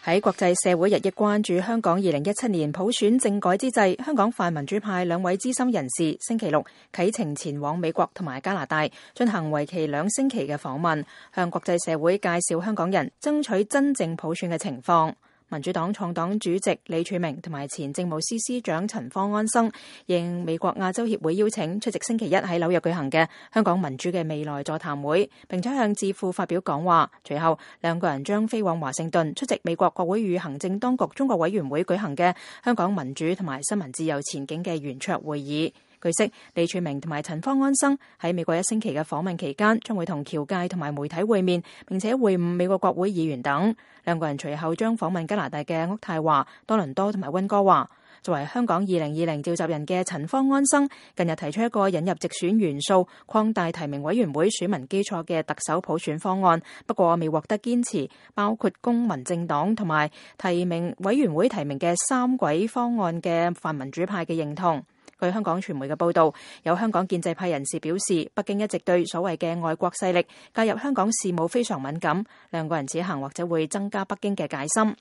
喺國際社會日益關注香港2017年普選政改之際，香港泛民主派兩位資深人士星期六啟程前往美國同埋加拿大，進行為期2星期嘅訪問，向國際社會介紹香港人爭取真正普選嘅情況。民主黨創黨主席李柱銘同埋前政務司司長陳方安生應美國亞洲協會邀請，出席星期一喺紐約舉行嘅香港民主嘅未來座談會，並且向智庫發表講話。隨後兩個人將飛往華盛頓出席美國國會與行政當局中國委員會舉行嘅香港民主同埋新聞自由前景嘅圓桌會議。據悉，李柱銘同埋陳方安生喺美國1星期嘅訪問期間，將會同僑界同埋媒體會面，並且會晤美國國會議員等。兩個人隨後將訪問加拿大嘅渥太華、多倫多同埋溫哥華。作為香港2020召集人嘅陳方安生，近日提出一個引入直選元素、擴大提名委員會選民基礎嘅特首普選方案，不過未獲得堅持，包括公民政黨同埋提名委員會提名嘅3軌方案嘅泛民主派嘅認同。據香港傳媒嘅報導，有香港建制派人士表示，北京一直對所謂嘅外國勢力介入香港事務非常敏感，兩個人此行或者會增加北京嘅戒心。